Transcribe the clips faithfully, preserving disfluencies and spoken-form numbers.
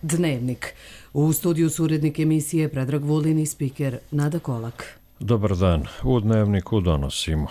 Dnevnik. U studiju su urednik emisije Predrag Vulin i spiker Nada Kolak. Dobar dan. U Dnevniku donosimo.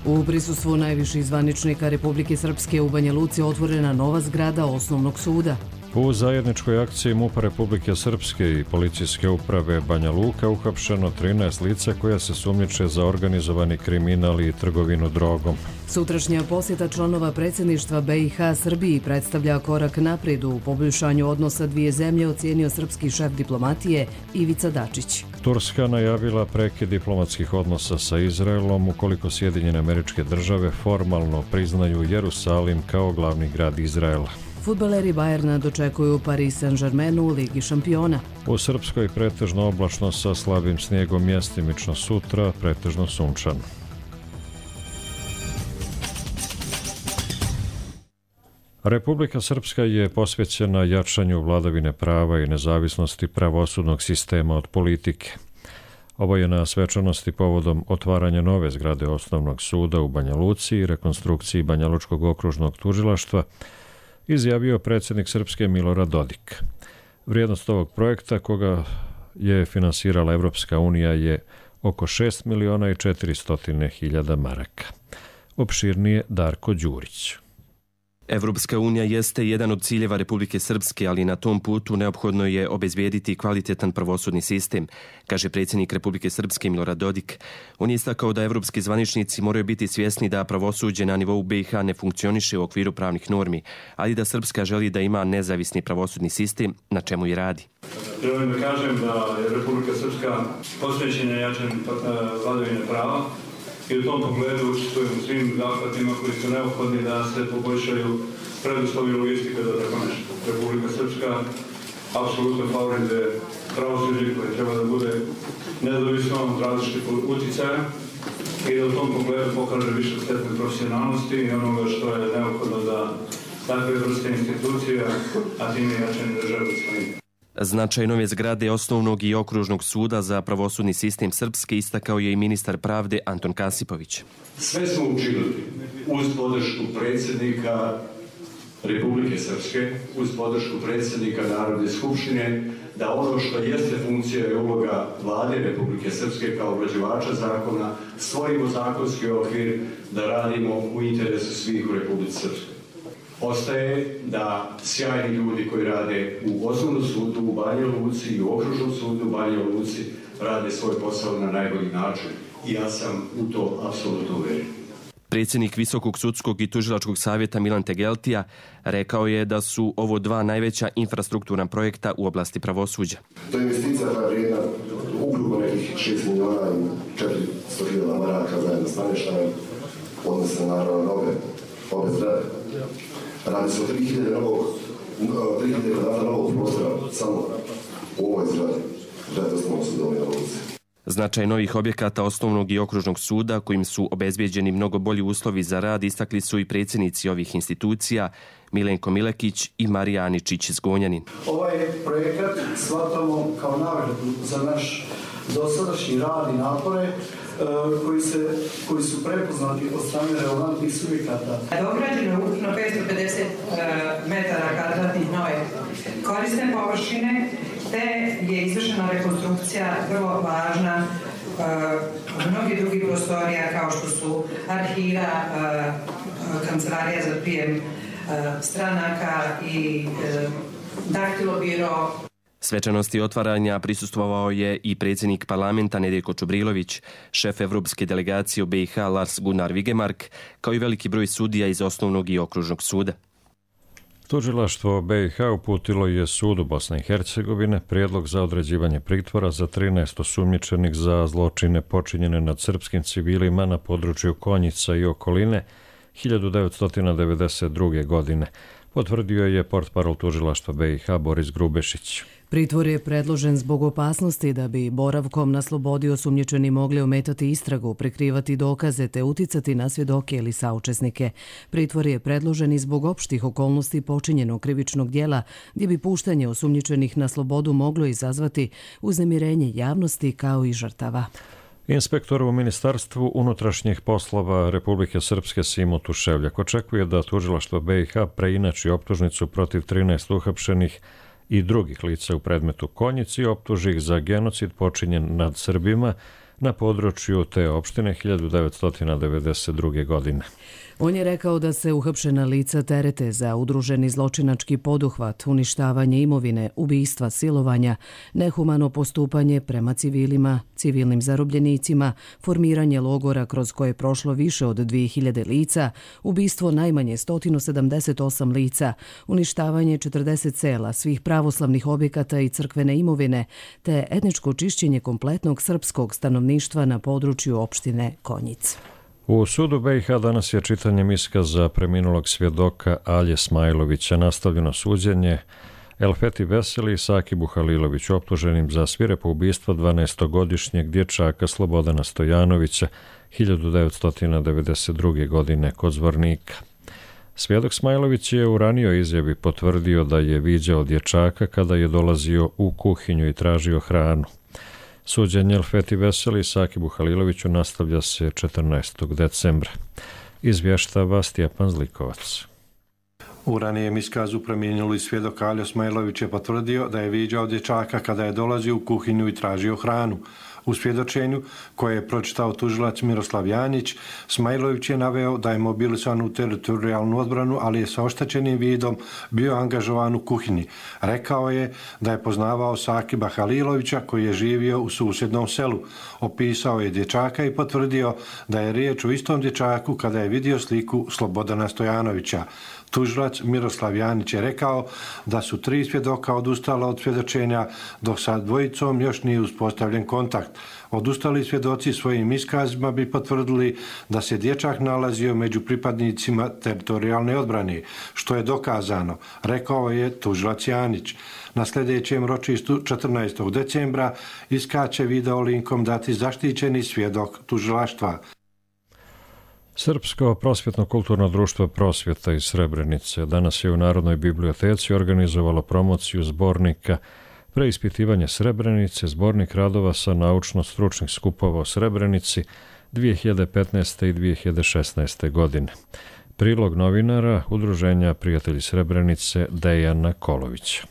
U prisustvu najviših zvaničnika Republike Srpske u Banja Luci otvorena nova zgrada Osnovnog suda. U zajedničkoj akciji MUP-a Republike Srpske i Policijske uprave Banja Luka uhapšeno trinaest lica koja se sumnjiče za organizovani kriminal i trgovinu drogom. Sutrašnja posjeta članova predsjedništva B i H Srbiji predstavlja korak naprijed u poboljšanju odnosa dvije zemlje, ocijenio srpski šef diplomatije Ivica Dačić. Turska najavila prekid diplomatskih odnosa sa Izraelom ukoliko Sjedinjene Američke Države formalno priznaju Jerusalim kao glavni grad Izraela. Fudbaleri Bajerna dočekuju Paris Saint-Germain u Ligi šampiona. U Srpskoj pretežno oblačno sa slabim snijegom, mjestimično sutra pretežno sunčano. Republika Srpska je posvećena jačanju vladavine prava i nezavisnosti pravosudnog sistema od politike. Ovo je na svečanosti povodom otvaranja nove zgrade Osnovnog suda u Banja Luci i rekonstrukciji Banja Lučkog okružnog tužilaštva izjavio predsjednik Srpske Milorad Dodik. Vrijednost ovog projekta, koga je finansirala Evropska unija, je oko šest miliona i četiristo hiljada maraka. Opširnije Darko Đurić. Evropska unija jeste jedan od ciljeva Republike Srpske, ali na tom putu neophodno je obezbijediti kvalitetan pravosudni sistem, kaže predsjednik Republike Srpske Milorad Dodik. On je istakao da evropski zvaničnici moraju biti svjesni da pravosuđe na nivou B i H ne funkcioniše u okviru pravnih normi, ali da Srpska želi da ima nezavisni pravosudni sistem, na čemu i radi. Želim da kažem da je Republika Srpska posvećena jačanju vladavine prava i u tom pogledu učestvujem u svim zahvatima koji su neophodni da se poboljšaju preduslovi i logistika za tako nešto. Republika Srpska apsolutno favorizuje pravosuđe koje treba da bude nezavisno od različitih uticaja i da u tom pogledu pokaže više stepen profesionalnosti i onoga što je neophodno za takve vrste institucija, a time i jačanje države svojim. Značaj nove zgrade Osnovnog i okružnog suda za pravosudni sistem Srpske istakao je i ministar pravde Anton Kasipović. Sve smo učinili uz podršku predsjednika Republike Srpske, uz podršku predsjednika Narodne skupštine, da ono što jeste funkcija i uloga vlade Republike Srpske kao obrađivača zakona, stvorimo zakonski okvir da radimo u interesu svih u Republici Srpskoj. Ostaje da sjajni ljudi koji rade u Osnovnom sudu u Banja Luci i u Okružnom sudu u Banja Luci rade svoj posao na najbolji način i ja sam u to apsolutno uvjeren. Predsjednik Visokog sudskog i tužilačkog savjeta Milan Tegeltija rekao je da su ovo dva najveća infrastrukturna projekta u oblasti pravosuđa. To je investicija koja je vrijedna ukupno nekih šest miliona i četiristo hiljada maraka zajedno s namještajem, odnosno naravno nove ove zgrade. Radi se o tri hiljade kvadrata novog prostora samo u ovoj zgradi, zgradi Osnovnog suda u Banja Luci. Značaj novih objekata Osnovnog i okružnog suda, kojim su obezbijeđeni mnogo bolji uslovi za rad, istakli su i predsjednici ovih institucija Milenko Milekić i Marija Aničić Zgonjanin. Ovaj projekat shvatamo kao nagradu za naš dosadašnji rad i napore koji, se, koji su prepoznati od strane relevantnih subjekata. Dograđeno je ukupno petsto pedeset metara kvadratnih nove korisne površine, te je izvršena rekonstrukcija vrlo važna mnogi drugi prostorija kao što su arhiva, kancelarija za prijem stranaka i daktilobiro. Svečanosti otvaranja prisustvovao je i predsjednik parlamenta Nedeljko Čubrilović, šef evropske delegacije u B i H Lars Gunnar Vigemark, kao i veliki broj sudija iz Osnovnog i okružnog suda. Tužilaštvo B i H uputilo je sudu Bosne i Hercegovine prijedlog za određivanje pritvora za trinaest osumnjičenih za zločine počinjene nad srpskim civilima na području Konjica i okoline hiljadu devetsto devedeset druge. godine, potvrdio je portparol tužilaštva B i H Boris Grubešić. Pritvor je predložen zbog opasnosti da bi boravkom na slobodi osumnjičeni mogli ometati istragu, prikrivati dokaze te uticati na svjedoke ili saučesnike. Pritvor je predložen i zbog opštih okolnosti počinjenog krivičnog djela, gdje bi puštanje osumnjičenih na slobodu moglo izazvati uznemirenje javnosti kao i žrtava. Inspektor u Ministarstvu unutrašnjih poslova Republike Srpske Simo Tuševljak očekuje da tužilaštvo B i H preinači optužnicu protiv trinaest uhapšenih i drugih lica u predmetu Konjic i optuži ih za genocid počinjen nad Srbima na području te opštine hiljadu devetsto devedeset druge. godine. On je rekao da se uhapšena lica terete za udruženi zločinački poduhvat, uništavanje imovine, ubistva, silovanja, nehumano postupanje prema civilima, civilnim zarobljenicima, formiranje logora kroz koje je prošlo više od dvije hiljade lica, ubistvo najmanje sto sedamdeset osam lica, uništavanje četrdeset sela, svih pravoslavnih objekata i crkvene imovine, te etničko čišćenje kompletnog srpskog stanovništva na području opštine Konjic. U sudu B i H danas je čitanjem iskaza preminulog svjedoka Alje Smajlovića nastavljeno suđenje Elfeti Veseli i Sakibu Haliloviću, optuženim za svirepo ubistvo dvanaestogodišnjeg dječaka Slobodana Stojanovića hiljadu devetsto devedeset druge. godine kod Zvornika. Svjedok Smajlović je u ranijoj izjavi potvrdio da je viđao dječaka kada je dolazio u kuhinju i tražio hranu. Suđenje Elfeti Veseli i Sakibu Haliloviću nastavlja se četrnaestog decembra. Izvještava Stjepan Zlikovac. U ranijem iskazu preminuli svjedok Aljo Smajlović je potvrdio da je viđao dječaka kada je dolazio u kuhinju i tražio hranu. U svjedočenju koje je pročitao tužilac Miroslav Janić, Smajlović je naveo da je mobilisan u teritorijalnu odbranu, ali je sa oštećenim vidom bio angažovan u kuhinji. Rekao je da je poznavao Sakiba Halilovića koji je živio u susjednom selu. Opisao je dječaka i potvrdio da je riječ o istom dječaku kada je vidio sliku Slobodana Stojanovića. Tužilac Miroslav Janić je rekao da su tri svjedoka odustala od svjedočenja, dok sa dvojicom još nije uspostavljen kontakt. Odustali svjedoci svojim iskazima bi potvrdili da se dječak nalazio među pripadnicima teritorijalne odbrane, što je dokazano, rekao je tužilac Janić. Na sljedećem ročištu četrnaestog decembra iskače video linkom dati zaštićeni svjedok tužilaštva. Srpsko prosvjetno-kulturno društvo Prosvjeta iz Srebrenice danas je u Narodnoj biblioteci organizovalo promociju zbornika Preispitivanje Srebrenice, zbornik radova sa naučno-stručnih skupova o Srebrenici dvije hiljade petnaeste. i dvije hiljade šesnaeste. godine. Prilog novinara Udruženja Prijatelji Srebrenice Dejana Kolovića.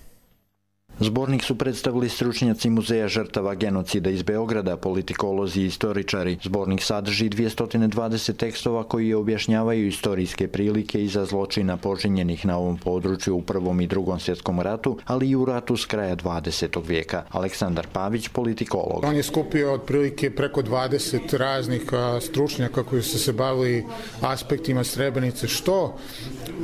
Zbornik su predstavili stručnjaci Muzeja žrtava genocida iz Beograda, politikolozi i istoričari. Zbornik sadrži dvjesto dvadeset tekstova koji objašnjavaju istorijske prilike iza zločina počinjenih na ovom području u Prvom i Drugom svjetskom ratu, ali i u ratu s kraja dvadesetog vijeka. Aleksandar Pavić, politikolog. On je skupio otprilike preko dvadeset raznih stručnjaka koji su se bavili aspektima Srebrenice, što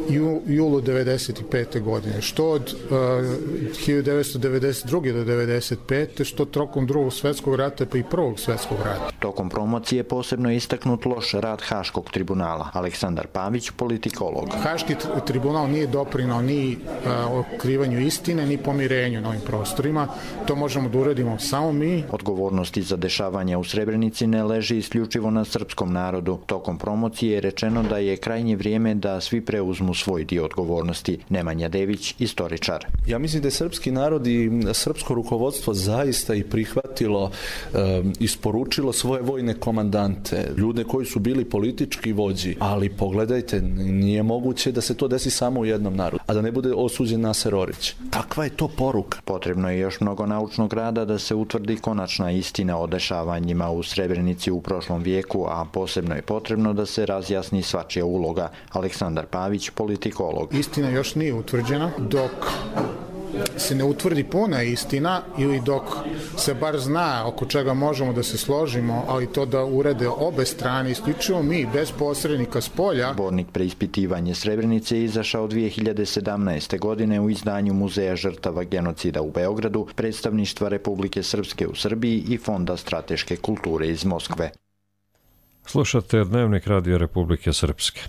u julu devedeset pete. godine, što od uh, hiljadu devetsto devedeset druge. do devedeset pete. što tokom Drugog svjetskog rata pa i Prvog svjetskog rata. Tokom promocije posebno je istaknut loš rad Haškog tribunala. Aleksandar Pavić, politikolog. Haški tribunal nije doprinao ni uh, otkrivanju istine, ni pomirenju na ovim prostorima. To možemo da uradimo samo mi. Odgovornosti za dešavanja u Srebrenici ne leži isključivo na srpskom narodu. Tokom promocije je rečeno da je krajnje vrijeme da svi preuzmu svoj dio odgovornosti. Nemanja Dević, istoričar. Ja mislim da je srpski narod i srpsko rukovodstvo zaista i prihvatilo, e, isporučilo svoje vojne komandante, ljude koji su bili politički vođi, ali pogledajte, nije moguće da se to desi samo u jednom narodu, a da ne bude osuđen Naser Orić. Kakva je to poruka? Potrebno je još mnogo naučnog rada da se utvrdi konačna istina o dešavanjima u Srebrenici u prošlom vijeku, a posebno je potrebno da se razjasni svačija uloga. Aleksandar Pavić, politikolog. Istina još nije utvrđena, dok se ne utvrdi puna istina ili dok se bar zna oko čega možemo da se složimo, ali to da urede obe strane, isključivo mi, bez posrednika s polja. Zbornik Preispitivanje Srebrenice je izašao dvije hiljade sedamnaeste. godine u izdanju Muzeja žrtava genocida u Beogradu, predstavništva Republike Srpske u Srbiji i Fonda strateške kulture iz Moskve. Slušate Dnevnik Radija Republike Srpske.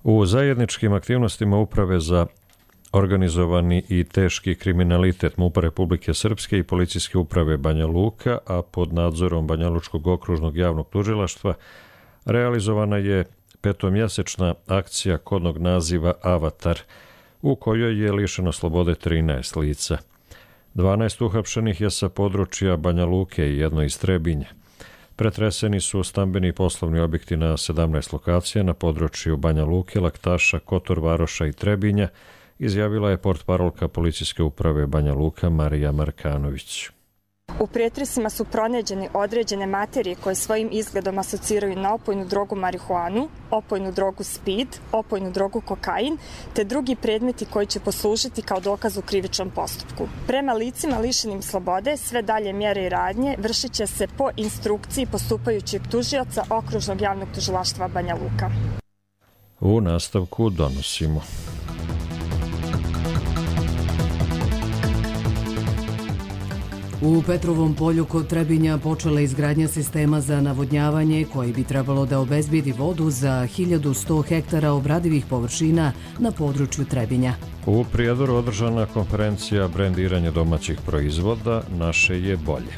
U zajedničkim aktivnostima Uprave za organizovani i teški kriminalitet MUP-a Republike Srpske i Policijske uprave Banja Luka, a pod nadzorom Banjalučkog okružnog javnog tužilaštva, realizovana je petomjesečna akcija kodnog naziva Avatar, u kojoj je lišeno slobode trinaest lica. dvanaest uhapšenih je sa područja Banja Luke i jedno iz Trebinja. Pretreseni su stambeni i poslovni objekti na sedamnaest lokacija na području Banja Luke, Laktaša, Kotor Varoša i Trebinja, izjavila je portparolka policijske uprave Banja Luka Marija Markanović. U pretresima su pronađene određene materije koje svojim izgledom asociraju na opojnu drogu marihuanu, opojnu drogu speed, opojnu drogu kokain, te drugi predmeti koji će poslužiti kao dokaz u krivičnom postupku. Prema licima lišenim slobode, sve dalje mjere i radnje vršit će se po instrukciji postupajućeg tužioca Okružnog javnog tužilaštva Banja Luka. U nastavku donosimo. U Petrovom polju kod Trebinja počela izgradnja sistema za navodnjavanje koji bi trebalo da obezbedi vodu za hiljadu sto hektara obradivih površina na području Trebinja. U Prijedoru održana konferencija brendiranja domaćih proizvoda Naše je bolje.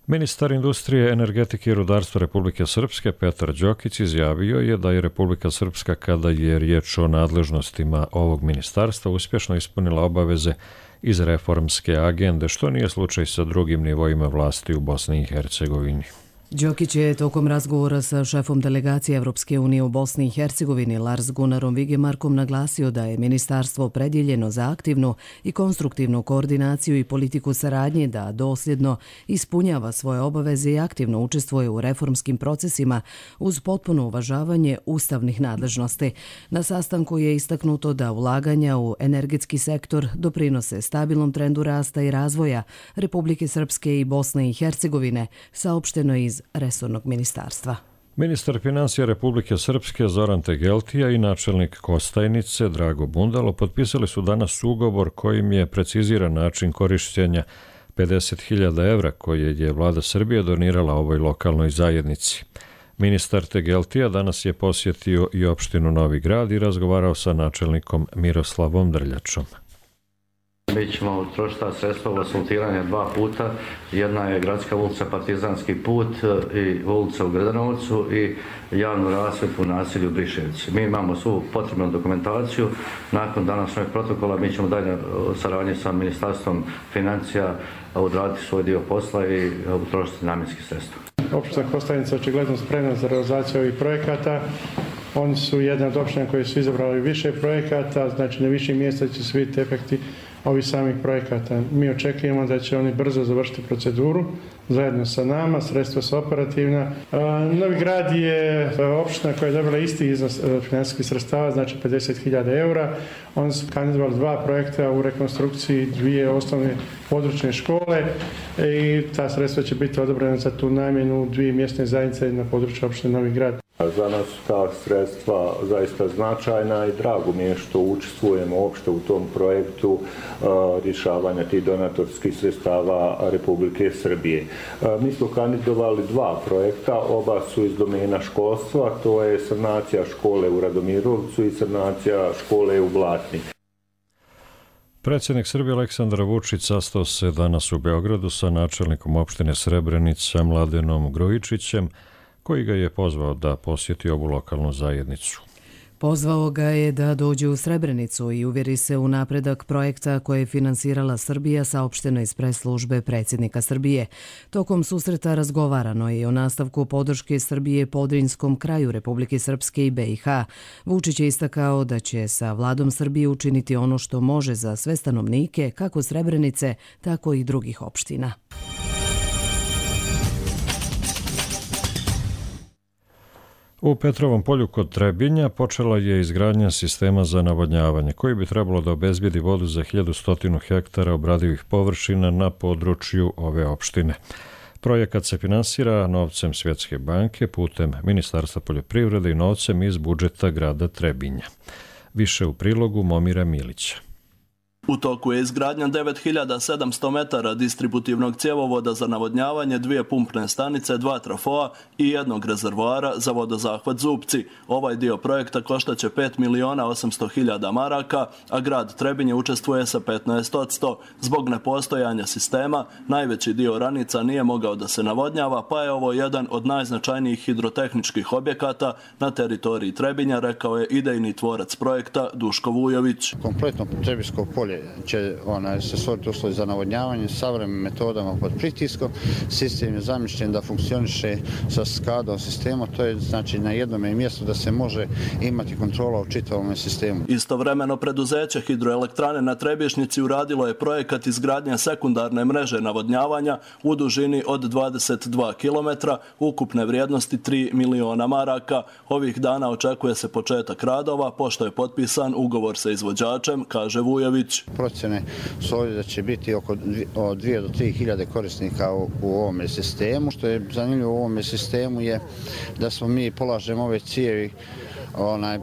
Ministar industrije, energetike i rudarstva Republike Srpske Petar Đokić izjavio je da je Republika Srpska, kada je riječ o nadležnostima ovog ministarstva, uspješno ispunila obaveze iz reformske agende, što nije slučaj sa drugim nivoima vlasti u Bosni i Hercegovini. Đokić je tokom razgovora sa šefom delegacije Evropske unije u Bosni i Hercegovini Lars Gunnarom Vigemarkom naglasio da je ministarstvo predjeljeno za aktivnu i konstruktivnu koordinaciju i politiku saradnje, da dosljedno ispunjava svoje obaveze i aktivno učestvuje u reformskim procesima uz potpuno uvažavanje ustavnih nadležnosti. Na sastanku je istaknuto da ulaganja u energetski sektor doprinose stabilnom trendu rasta i razvoja Republike Srpske i Bosne i Hercegovine, saopšteno iz resornog ministarstva. Ministar financija Republike Srpske Zoran Tegeltija i načelnik Kostajnice Drago Bundalo potpisali su danas ugovor kojim je preciziran način korištenja pedeset hiljada evra koje je vlada Srbije donirala ovoj lokalnoj zajednici. Ministar Tegeltija danas je posjetio i opštinu Novi Grad i razgovarao sa načelnikom Miroslavom Drljačom. Mi ćemo utrošiti ta sredstva u asfaltiranje dva puta. Jedna je gradska ulica Partizanski put i ulica u Gradanovcu i javnu rasvjetu u naselju Briševci. Mi imamo svu potrebnu dokumentaciju. Nakon današnjeg protokola mi ćemo dalje saradnje sa Ministarstvom financija odraditi svoj dio posla i utrošiti namjenski sredstva. Opština Kostajnica očigledno spremna za realizaciju ovih projekata. Oni su jedna od opština koji su izabrali više projekata, znači na više mjesta će se vidjeti efekti ovih samih projekata. Mi očekujemo da će oni brzo završiti proceduru zajedno sa nama, sredstva su operativna. Novi Grad je opština koja je dobila isti iznos financijskih sredstava, znači pedeset hiljada eura. Oni su kandidovali dva projekta u rekonstrukciji dvije osnovne područne škole i ta sredstva će biti odobrena za tu namjenu dvije mjesne zajednice na području opštine Novi Grad. Za nas su ta sredstva zaista značajna i drago mi je što učestvujemo uopšte u tom projektu uh, rješavanja tih donatorskih sredstava Republike Srbije. Uh, mi smo kandidovali dva projekta, oba su iz domena školstva, to je sanacija škole u Radomirovcu i sanacija škole u Blatni. Predsjednik Srbije Aleksandar Vučić sastao se danas u Beogradu sa načelnikom opštine Srebrenica Mladenom Grujičićem, koji ga je pozvao da posjeti ovu lokalnu zajednicu. Pozvao ga je da dođe u Srebrenicu i uvjeri se u napredak projekta koje je finansirala Srbija, saopšteno iz pres službe predsjednika Srbije. Tokom susreta razgovarano je o nastavku podrške Srbije Podrinjskom kraju Republike Srpske i B i H. Vučić je istakao da će sa vladom Srbije učiniti ono što može za sve stanovnike, kako Srebrenice, tako i drugih opština. U Petrovom polju kod Trebinja počela je izgradnja sistema za navodnjavanje koji bi trebalo da obezbijedi vodu za hiljadu sto hektara obradivih površina na području ove opštine. Projekat se finansira novcem Svjetske banke putem Ministarstva poljoprivrede i novcem iz budžeta grada Trebinja. Više u prilogu Momira Milića. U toku je izgradnja devet hiljada sedamsto metara distributivnog cjevovoda za navodnjavanje, dvije pumpne stanice, dva trafoa i jednog rezervoara za vodozahvat Zupci. Ovaj dio projekta koštaće pet miliona osamsto hiljada maraka, a grad Trebinje učestvuje sa petnaest posto. Zbog nepostojanja sistema, najveći dio ranica nije mogao da se navodnjava, pa je ovo jedan od najznačajnijih hidrotehničkih objekata na teritoriji Trebinja, rekao je idejni tvorac projekta Duško Vujović. Kompletno Trebinjsko polje dalje će ona, se stvoriti uslovi za navodnjavanje savremenim metodama pod pritiskom. Sistem je zamišljen da funkcioniše sa skadom sistema, to je znači na jednom mjestu da se može imati kontrola u čitavom sistemu. Istovremeno preduzeće hidroelektrane na Trebišnjici uradilo je projekat izgradnje sekundarne mreže navodnjavanja u dužini od dvadeset dva kilometra, ukupne vrijednosti tri miliona maraka. Ovih dana očekuje se početak radova, pošto je potpisan ugovor sa izvođačem, kaže Vujović. Procjene su ovdje da će biti oko dvije do tri hiljade korisnika u, u ovome sistemu. Što je zanimljivo u ovome sistemu je da smo mi polažemo ove cijevi onaj,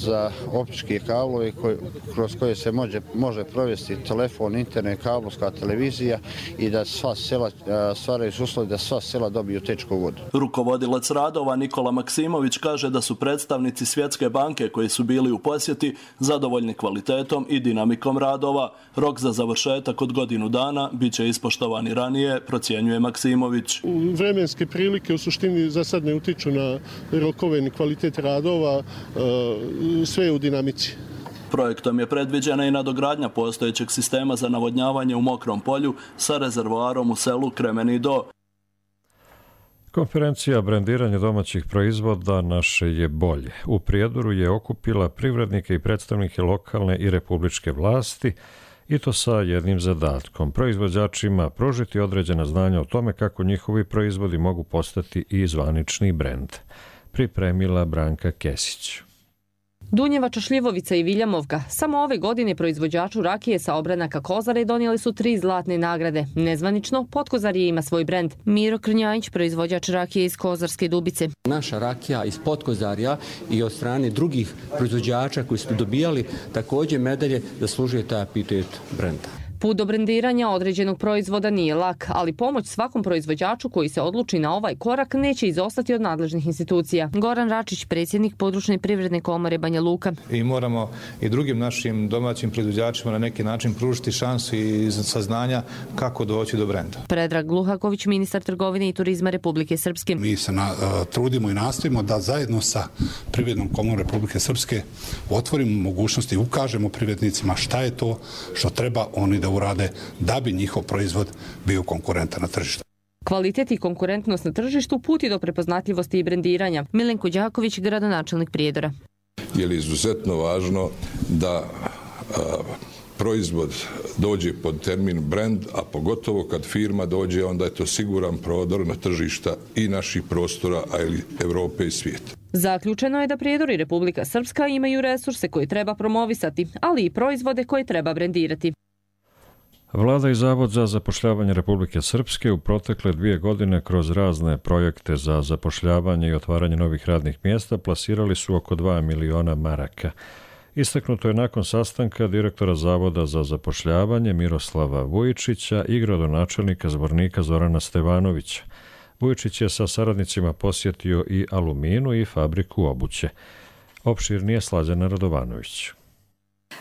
za optičke kablovi koji, kroz koje se može, može provesti telefon, internet, kablovska televizija i da sva sela stvaraju uslovi da sva sela dobiju tečku vodu. Rukovodilac radova Nikola Maksimović kaže da su predstavnici Svjetske banke koji su bili u posjeti zadovoljni kvalitetom i dinamikom radova. Rok za završetak od godinu dana bit će ispoštovani ranije, procjenjuje Maksimović. Vremenske prilike u suštini za sad ne utiču na rokove ni kvalitet radova, sve je u dinamici. Projektom je predviđena i nadogradnja postojećeg sistema za navodnjavanje u Mokrom polju sa rezervoarom u selu Kremeni Do. Konferencija brendiranja domaćih proizvoda naše je bolje. U Prijedoru je okupila privrednike i predstavnike lokalne i republičke vlasti i to sa jednim zadatkom. Proizvođačima pružiti određena znanja o tome kako njihovi proizvodi mogu postati i zvanični brend. Pripremila Branka Kesić. Dunjevača, Šljivovica i Viljamovka. Samo ove godine proizvođaču rakije sa obranaka Kozare donijeli su tri zlatne nagrade. Nezvanično, Potkozarje ima svoj brend. Miro Krnjajić, proizvođač rakije iz Kozarske Dubice. Naša rakija iz Potkozarja i od strane drugih proizvođača koji su dobijali također medalje zaslužuje taj epitet brenda. Put do brendiranja određenog proizvoda nije lak, ali pomoć svakom proizvođaču koji se odluči na ovaj korak neće izostati od nadležnih institucija. Goran Račić, predsjednik Područne privredne komore Banja Luka. I moramo i drugim našim domaćim proizvođačima na neki način pružiti šansu i saznanja kako doći do brenda. Predrag Gluhaković, ministar trgovine i turizma Republike Srpske. Mi se na, uh, trudimo i nastojimo da zajedno sa Privrednom komorom Republike Srpske otvorimo mogućnosti i ukažemo privrednicima šta je to što treba oni da urade da bi njihov proizvod bio konkurentan na tržištu. Kvalitet i konkurentnost na tržištu puti do prepoznatljivosti i brendiranja. Milenko Đaković, gradonačelnik Prijedora. Je li izuzetno važno da a, proizvod dođe pod termin brand, a pogotovo kad firma dođe, onda je to siguran prodor na tržišta i naših prostora, a i Evrope i svijeta. Zaključeno je da Prijedor i Republika Srpska imaju resurse koje treba promovisati, ali i proizvode koje treba brendirati. Vlada i Zavod za zapošljavanje Republike Srpske u protekle dvije godine kroz razne projekte za zapošljavanje i otvaranje novih radnih mjesta plasirali su oko dva miliona maraka. Istaknuto je nakon sastanka direktora Zavoda za zapošljavanje Miroslava Vujičića i gradonačelnika Zvornika Zorana Stevanovića. Vujičić je sa saradnicima posjetio i Aluminu i fabriku obuće. Opširnije Slađana Radovanović.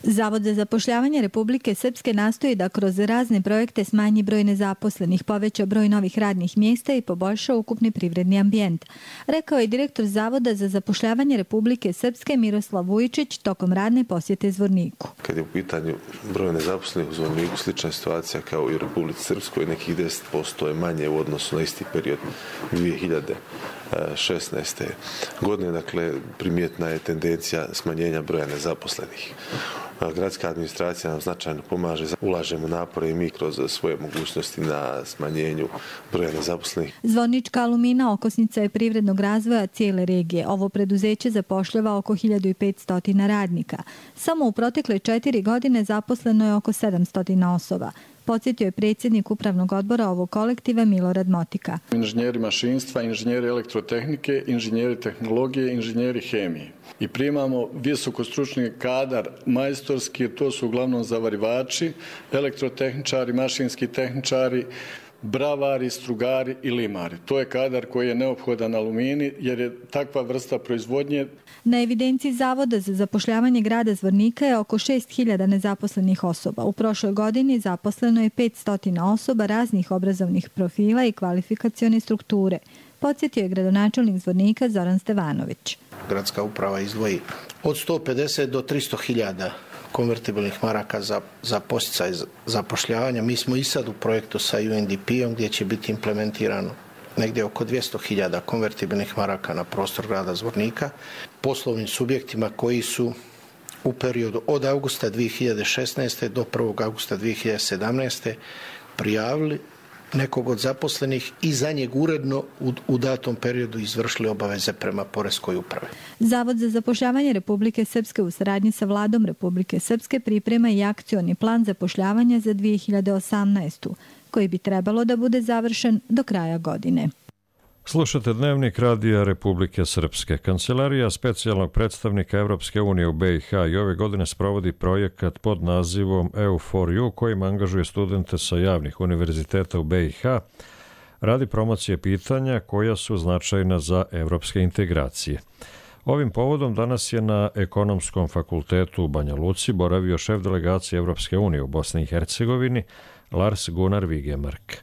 Zavod za zapošljavanje Republike Srpske nastoji da kroz razne projekte smanji broj nezaposlenih, poveća broj novih radnih mjesta i poboljša ukupni privredni ambijent, rekao je direktor Zavoda za zapošljavanje Republike Srpske Miroslav Vujičić tokom radne posjete Zvorniku. Kad je u pitanju broj nezaposlenih u Zvorniku, slična situacija kao i u Republici Srpskoj, nekih deset posto je manje u odnosu na isti period dvije hiljade šesnaeste. godine, dakle primjetna je tendencija smanjenja broja nezaposlenih. Gradska administracija nam značajno pomaže, ulažemo napore i mi kroz svoje mogućnosti na smanjenju broja nezaposlenih. Zvornička Alumina okosnica je privrednog razvoja cijele regije. Ovo preduzeće zapošljava oko hiljadu petsto radnika. Samo u protekle četiri godine zaposleno je oko sedamsto osoba. Podsjetio je predsjednik upravnog odbora ovog kolektiva Milorad Motika. Inženjeri mašinstva, inženjeri elektrotehnike, inženjeri tehnologije, inženjeri hemije. I primamo visokostručni kadar majstorski, to su uglavnom zavarivači, elektrotehničari, mašinski tehničari, bravari, strugari i limari. To je kadar koji je neophodan Alumini jer je takva vrsta proizvodnje. Na evidenciji Zavoda za zapošljavanje grada Zvornika je oko šest hiljada nezaposlenih osoba. U prošloj godini zaposleno je petsto osoba raznih obrazovnih profila i kvalifikacione strukture. Podsjetio je gradonačelnik Zvornika Zoran Stevanović. Gradska uprava izdvoji od sto pedeset do tristo hiljada konvertibilnih maraka za, za posticaj zapošljavanja. Mi smo i sad u projektu sa U N D P-om gdje će biti implementirano negdje oko dvjesto hiljada konvertibilnih maraka na prostor grada Zvornika poslovnim subjektima koji su u periodu od augusta dvije hiljade šesnaeste do prvog augusta dvije hiljade sedamnaeste prijavili nekog od zaposlenih i za njeg uredno u, u datom periodu izvršili obaveze prema Poreskoj upravi. Zavod za zapošljavanje Republike Srpske u saradnji sa vladom Republike Srpske priprema i akcioni plan zapošljavanja za dvije hiljade osamnaestu. koji bi trebalo da bude završen do kraja godine. Slušate Dnevnik Radija Republike Srpske. Kancelarija specijalnog predstavnika Evropske unije u B i H i ove godine sprovodi projekat pod nazivom E U for You kojim angažuje studente sa javnih univerziteta u B i H radi promocije pitanja koja su značajna za evropske integracije. Ovim povodom danas je na Ekonomskom fakultetu u Banja Luci boravio šef delegacije Evropske unije u Bosni i Hercegovini Lars Gunnar Vigemark.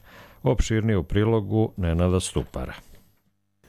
Opširnije u prilogu Nenada Stupara.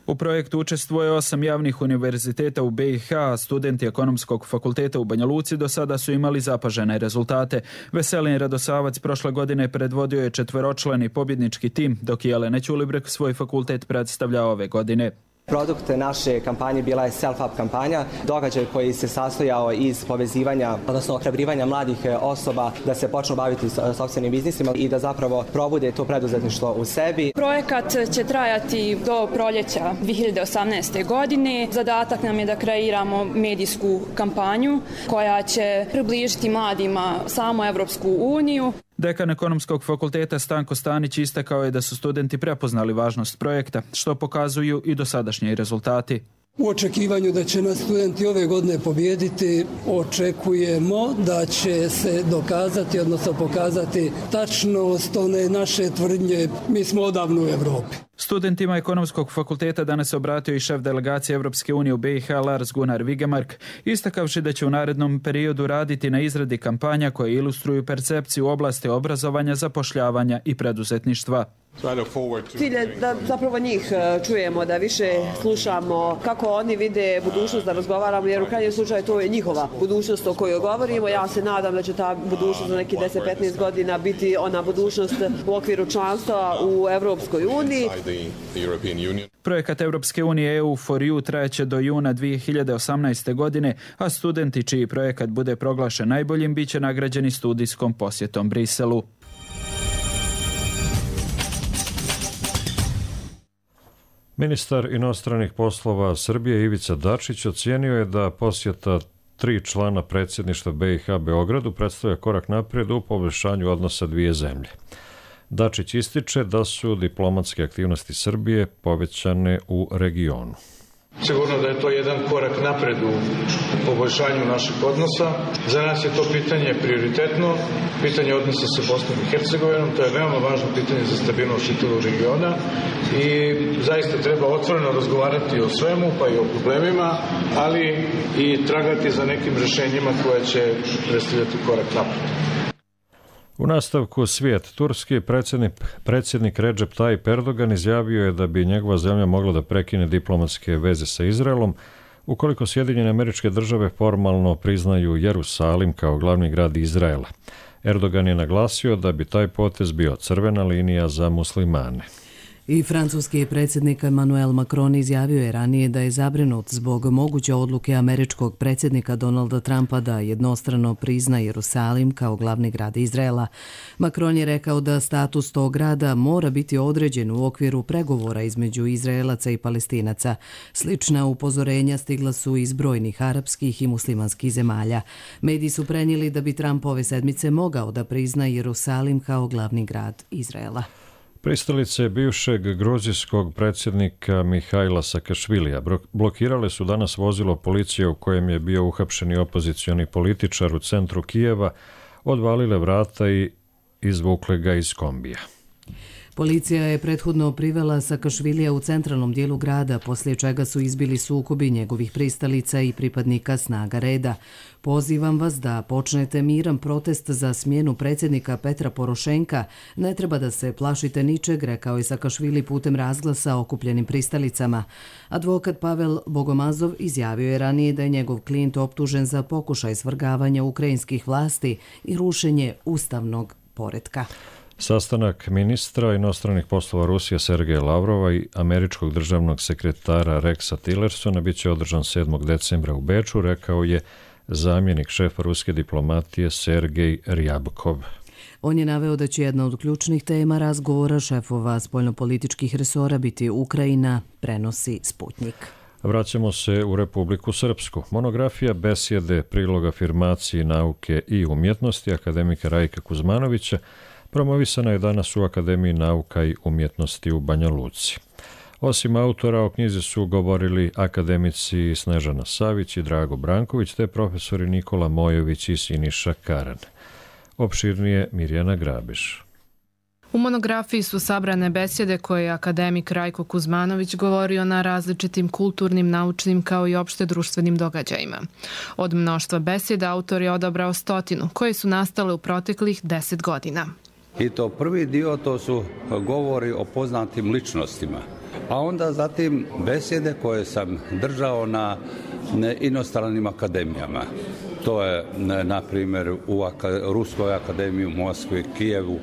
U projektu učestvuje osam javnih univerziteta u B i H, a studenti Ekonomskog fakulteta u Banja Luci do sada su imali zapažene rezultate. Veselin Radosavac prošle godine predvodio je četveročlani pobjednički tim, dok je Jelena Ćulibrek svoj fakultet predstavlja ove godine. Produkt naše kampanje bila je Self-Up kampanja, događaj koji se sastojao iz povezivanja, odnosno ohrabrivanja mladih osoba da se počnu baviti sopstvenim biznisima i da zapravo probude to preduzetništvo u sebi. Projekat će trajati do proljeća dvije hiljade osamnaeste. godine. Zadatak nam je da kreiramo medijsku kampanju koja će približiti mladima samu Evropsku uniju. Dekan Ekonomskog fakulteta Stanko Stanić istakao je da su studenti prepoznali važnost projekta, što pokazuju i dosadašnji rezultati. U očekivanju da će nas studenti ove godine pobijediti, očekujemo da će se dokazati, odnosno pokazati tačnost one naše tvrdnje, mi smo odavno u Evropi. Studentima Ekonomskog fakulteta danas se obratio i šef delegacije Evropske unije u B i H Lars Gunnar Vigemark, istakavši da će u narednom periodu raditi na izradi kampanja koje ilustruju percepciju u oblasti obrazovanja, zapošljavanja i preduzetništva. Cilj je da zapravo njih čujemo, da više slušamo kako oni vide budućnost, da razgovaramo, jer u krajnjem slučaju to je njihova budućnost o kojoj govorimo. Ja se nadam da će ta budućnost za neki deset do petnaest godina biti ona budućnost u okviru članstva u Evropskoj uniji. Projekat Evropske unije E U for You trajeće do juna dvije hiljade osamnaeste. godine, a studenti čiji projekat bude proglašen najboljim biće nagrađeni studijskom posjetom Briselu. Ministar inostranih poslova Srbije Ivica Dačić ocijenio je da posjeta tri člana predsjedništva B i H Beogradu predstavlja korak naprijed u poboljšanju odnosa dvije zemlje. Dačić ističe da su diplomatske aktivnosti Srbije povećane u regionu. Sigurno da je to jedan korak napred u poboljšanju naših odnosa. Za nas je to pitanje prioritetno, pitanje odnosa sa Bosnom i Hercegovinom, to je veoma važno pitanje za stabilnost čitavog regiona i zaista treba otvoreno razgovarati o svemu, pa i o problemima, ali i tragati za nekim rješenjima koje će predstavljati korak napred. U nastavku svijet, turski predsjednik, predsjednik Recep Tayyip Erdogan izjavio je da bi njegova zemlja mogla da prekine diplomatske veze sa Izraelom ukoliko Sjedinjene Američke Države formalno priznaju Jerusalim kao glavni grad Izraela. Erdogan je naglasio da bi taj potez bio crvena linija za muslimane. I francuski predsjednik Emmanuel Macron izjavio je ranije da je zabrinut zbog moguće odluke američkog predsjednika Donalda Trumpa da jednostrano prizna Jerusalim kao glavni grad Izraela. Macron je rekao da status tog grada mora biti određen u okviru pregovora između Izraelaca i Palestinaca. Slična upozorenja stigla su iz brojnih arapskih i muslimanskih zemalja. Mediji su prenijeli da bi Trump ove sedmice mogao da prizna Jerusalim kao glavni grad Izraela. Pristalice bivšeg gruzijskog predsjednika Mihajla Sakašvilija blokirale su danas vozilo policije u kojem je bio uhapšeni opozicioni političar u centru Kijeva, odvalile vrata i izvukle ga iz kombija. Policija je prethodno privela Sakašvilija u centralnom dijelu grada, poslije čega su izbili sukobi njegovih pristalica i pripadnika snaga reda. Pozivam vas da počnete miran protest za smjenu predsjednika Petra Porošenka. Ne treba da se plašite ničeg, rekao je Sakašvili putem razglasa okupljenim pristalicama. Advokat Pavel Bogomazov izjavio je ranije da je njegov klijent optužen za pokušaj svrgavanja ukrajinskih vlasti i rušenje ustavnog poretka. Sastanak ministra inostranih poslova Rusije Sergeja Lavrova i američkog državnog sekretara Rexa Tillersona bit će održan sedmog decembra u Beču, rekao je zamjenik šefa ruske diplomatije Sergej Ryabkov. On je naveo da će jedna od ključnih tema razgovora šefova spoljnopolitičkih resora biti Ukrajina, prenosi Sputnik. Vraćamo se u Republiku Srpsku. Monografija besjede, prilog afirmaciji nauke i umjetnosti akademika Rajka Kuzmanovića promovisana je danas u Akademiji nauka i umjetnosti u Banja Luci. Osim autora, o knjizi su govorili akademici Snežana Savić i Drago Branković, te profesori Nikola Mojović i Siniša Karan. Opširnije Mirjana Grabiš. U monografiji su sabrane besjede koje je akademik Rajko Kuzmanović govorio na različitim kulturnim, naučnim kao i opšte društvenim događajima. Od mnoštva besjeda autor je odabrao stotinu, koje su nastale u proteklih deset godina. I to prvi dio, to su govori o poznatim ličnostima. A onda zatim besjede koje sam držao na inostranim akademijama. To je, na primjer, u Ruskoj akademiji u Moskvi, Kijevu,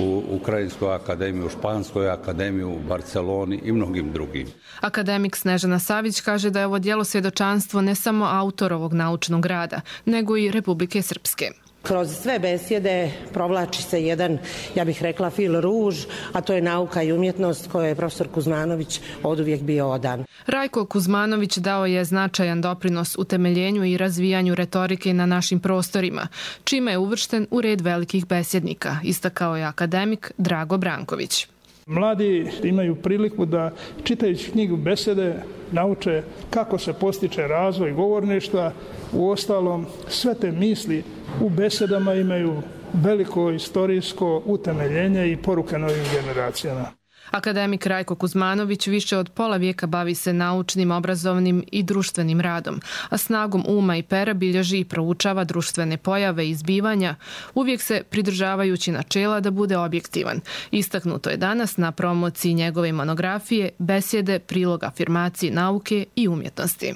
u Ukrajinskoj akademiji, u Španskoj akademiji, u Barceloni i mnogim drugim. Akademik Snežana Savić kaže da je ovo djelo svjedočanstvo ne samo autorovog naučnog rada, nego i Republike Srpske. Kroz sve besjede provlači se jedan, ja bih rekla, fil ruž, a to je nauka i umjetnost koje je profesor Kuzmanović oduvijek bio odan. Rajko Kuzmanović dao je značajan doprinos utemeljenju i razvijanju retorike na našim prostorima, čime je uvršten u red velikih besjednika, istakao je akademik Drago Branković. Mladi imaju priliku da, čitajući knjigu besjede, nauče kako se postiče razvoj govorništva. Uostalom, sve te misli u besedama imaju veliko istorijsko utemeljenje i poruke novim generacijama. Akademik Rajko Kuzmanović više od pola vijeka bavi se naučnim, obrazovnim i društvenim radom, a snagom uma i pera bilježi i proučava društvene pojave i zbivanja, uvijek se pridržavajući načela da bude objektivan. Istaknuto je danas na promociji njegove monografije besjede, prilog afirmaciji nauke i umjetnosti.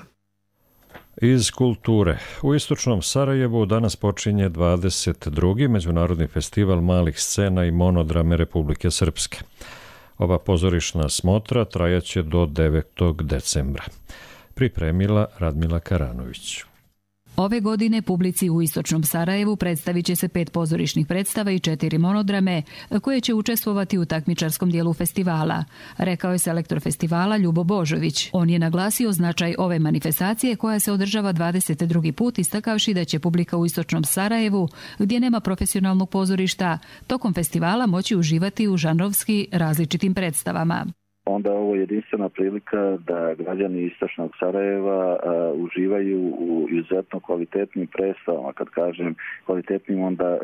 Iz kulture. U istočnom Sarajevu danas počinje dvadeset drugi Međunarodni festival malih scena i monodrame Republike Srpske. Ova pozorišna smotra trajaće do devetog decembra. Pripremila Radmila Karanović. Ove godine publici u istočnom Sarajevu predstavit će se pet pozorišnih predstava i četiri monodrame koje će učestvovati u takmičarskom dijelu festivala, rekao je selektor festivala Ljubo Božović. On je naglasio značaj ove manifestacije koja se održava dvadeset drugi put, istakavši da će publika u istočnom Sarajevu, gdje nema profesionalnog pozorišta, tokom festivala moći uživati u žanrovski različitim predstavama. Onda ovo je jedinstvena prilika da građani istočnog Sarajeva a, uživaju u izuzetno kvalitetnim predstavama. Kad kažem kvalitetnim, onda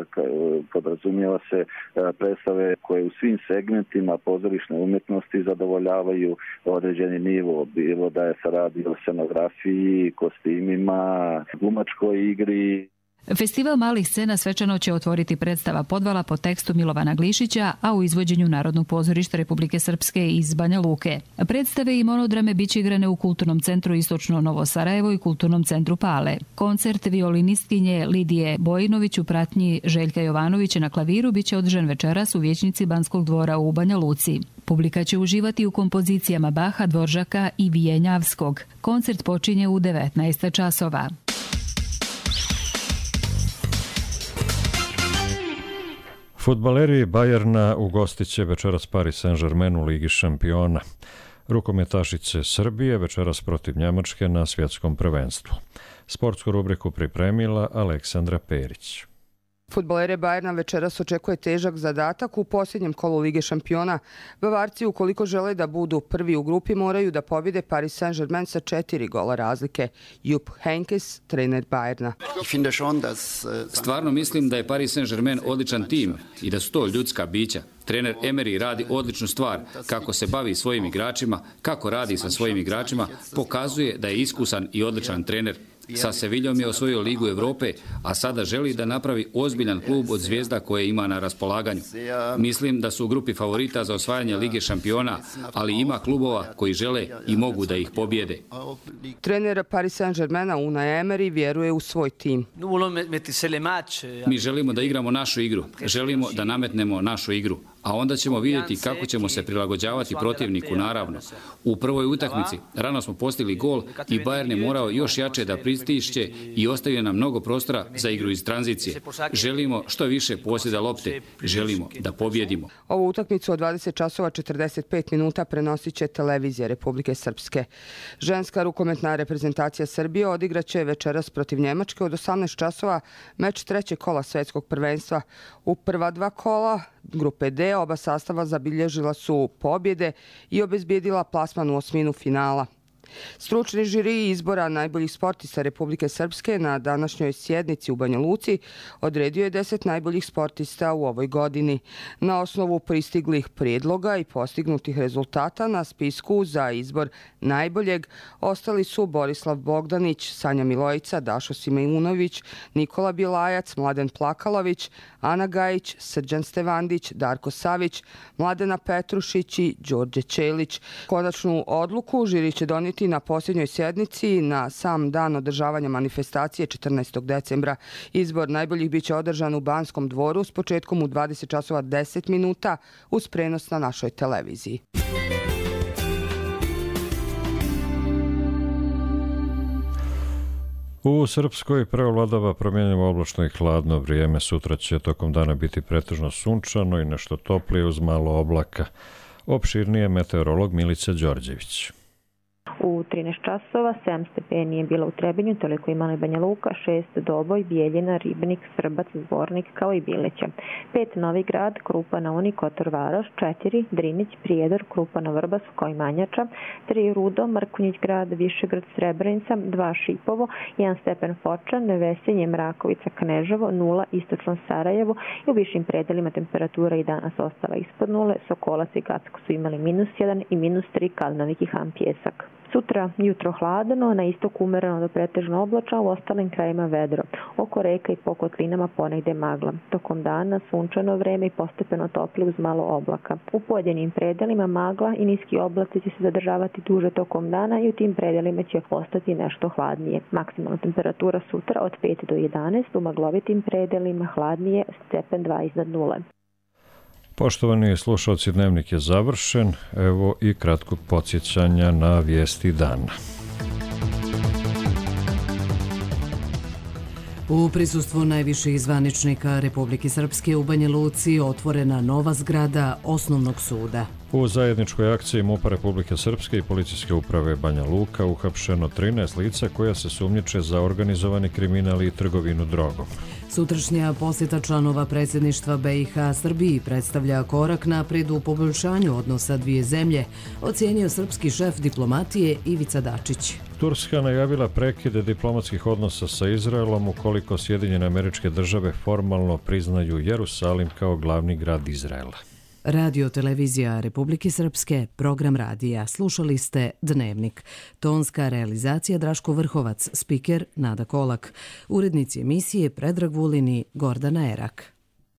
podrazumijeva se a, predstave koje u svim segmentima pozorišne umjetnosti zadovoljavaju određeni nivo. Bilo da je se radi o scenografiji, kostimima, glumačkoj igri. Festival malih scena svečano će otvoriti predstava Podvala po tekstu Milovana Glišića, a u izvođenju Narodnog pozorišta Republike Srpske iz Banja Luke. Predstave i monodrame biće igrane u Kulturnom centru Istočno Novo Sarajevo i Kulturnom centru Pale. Koncert violinistkinje Lidije Bojinović u pratnji Željka Jovanovića na klaviru biće održan večeras u vijećnici Banskog dvora u Banja Luci. Publika će uživati u kompozicijama Baha, Dvoržaka i Vijenjavskog. Koncert počinje u devetnaest časova. Fudbaleri Bajerna ugostit će večeras Paris Saint-Germain u Ligi šampiona. Rukometašice Srbije večeras protiv Njemačke na svjetskom prvenstvu. Sportsku rubriku pripremila Aleksandra Perić. Fudbalere Bayerna večeras očekuje težak zadatak u posljednjem kolu Lige šampiona. Bavarci, ukoliko žele da budu prvi u grupi, moraju da pobjede Paris Saint-Germain sa četiri gola razlike. Jupp Heynckes, trener Bayerna. Stvarno mislim da je Paris Saint-Germain odličan tim i da su to ljudska bića. Trener Emery radi odličnu stvar. Kako se bavi svojim igračima, kako radi sa svojim igračima, pokazuje da je iskusan i odličan trener. Sa Seviljom je osvojio Ligu Evrope, a sada želi da napravi ozbiljan klub od zvijezda koje ima na raspolaganju. Mislim da su u grupi favorita za osvajanje Lige šampiona, ali ima klubova koji žele i mogu da ih pobjede. Trener Paris Saint-Germaina Unai Emery vjeruje u svoj tim. Mi želimo da igramo našu igru, želimo da nametnemo našu igru, a onda ćemo vidjeti kako ćemo se prilagođavati protivniku, naravno. U prvoj utakmici rano smo postigli gol i Bayern je morao još jače da pristišće i ostavio nam mnogo prostora za igru iz tranzicije. Želimo što više posjeda lopte, želimo da pobjedimo. Ovu utakmicu od dvadeset časova četrdeset pet minuta prenosit će televizija Republike Srpske. Ženska rukometna reprezentacija Srbije odigraće večeras protiv Njemačke od osamnaest časova meč trećeg kola svjetskog prvenstva. U prva dva kola grupe D oba sastava zabilježila su pobjede i obezbijedila plasman u osminu finala. Stručni žiri izbora najboljih sportista Republike Srpske na današnjoj sjednici u Banja Luci odredio je deset najboljih sportista u ovoj godini. Na osnovu pristiglih prijedloga i postignutih rezultata na spisku za izbor najboljeg ostali su Borislav Bogdanić, Sanja Milojica, Dašo Simeunović, Nikola Bjelajac, Mladen Plakalović, Ana Gajić, Srđan Stevandić, Darko Savić, Mladena Petrušić i Đorđe Čelić. Konačnu odluku žiri će donijeti na posljednjoj sjednici na sam dan održavanja manifestacije četrnaestog decembra. Izbor najboljih biće održan u Banskom dvoru s početkom u dvadeset časova deset minuta uz prenos na našoj televiziji. U Srpskoj preovladava promjenjivo oblačno i hladno vrijeme. Sutra će tokom dana biti pretežno sunčano i nešto toplije uz malo oblaka. Opširnije meteorolog Milica Đorđević. U trinaest časova, sedam stepeni je bilo u Trebinju, toliko imala i Banja Luka, šest Doboj, Bijeljina, Ribnik, Srbac, Zvornik kao i Bileća. pet Novi Grad, Krupa na Uni, Kotor Varoš, četiri Drinić, Prijedor, Krupa na Vrbasu kao i Manjača, tri Rudo, Mrkonjić Grad, Višegrad, Srebrenica, dva Šipovo, jedan stepen Fočan, Vesenje, Mrakovica, Kneževo, nula Istočno Sarajevo i u višim predelima temperatura i danas ostala ispod nule. Sokolac i Gacko su imali minus jedan i minus tri Kalnovik i Han Pjesak. Sutra jutro hladno, na istoku umereno do pretežno oblačno, u ostalim krajima vedro. Oko reka i po kotlinama ponegde magla. Tokom dana sunčano vreme i postepeno topli uz malo oblaka. U pojedinim predelima magla i niski oblaci će se zadržavati duže tokom dana i u tim predelima će ostati nešto hladnije. Maksimalna temperatura sutra od pet do jedanaest, u maglovitim predelima hladnije stepen dva iznad nule. Poštovani slušalci, dnevnik je završen. Evo i kratkog podsjećanja na vijesti dana. U prisustvu najviših zvaničnika Republike Srpske u Banja Luci otvorena nova zgrada Osnovnog suda. U zajedničkoj akciji MUP-a Republike Srpske i Policijske uprave Banja Luka uhapšeno trinaest lica koja se sumnjiče za organizovani kriminal i trgovinu drogom. Sutrašnja posjeta članova predsjedništva B i H Srbiji predstavlja korak naprijed u poboljšanju odnosa dvije zemlje, ocijenio srpski šef diplomatije Ivica Dačić. Turska najavila prekide diplomatskih odnosa sa Izraelom ukoliko Sjedinjene Američke Države formalno priznaju Jerusalim kao glavni grad Izraela. Radio televizija Republike Srpske, program radija. Slušali ste Dnevnik. Tonska realizacija Draško Vrhovac, spiker Nada Kolak. Urednici emisije Predrag Vulin i Gordana Erak.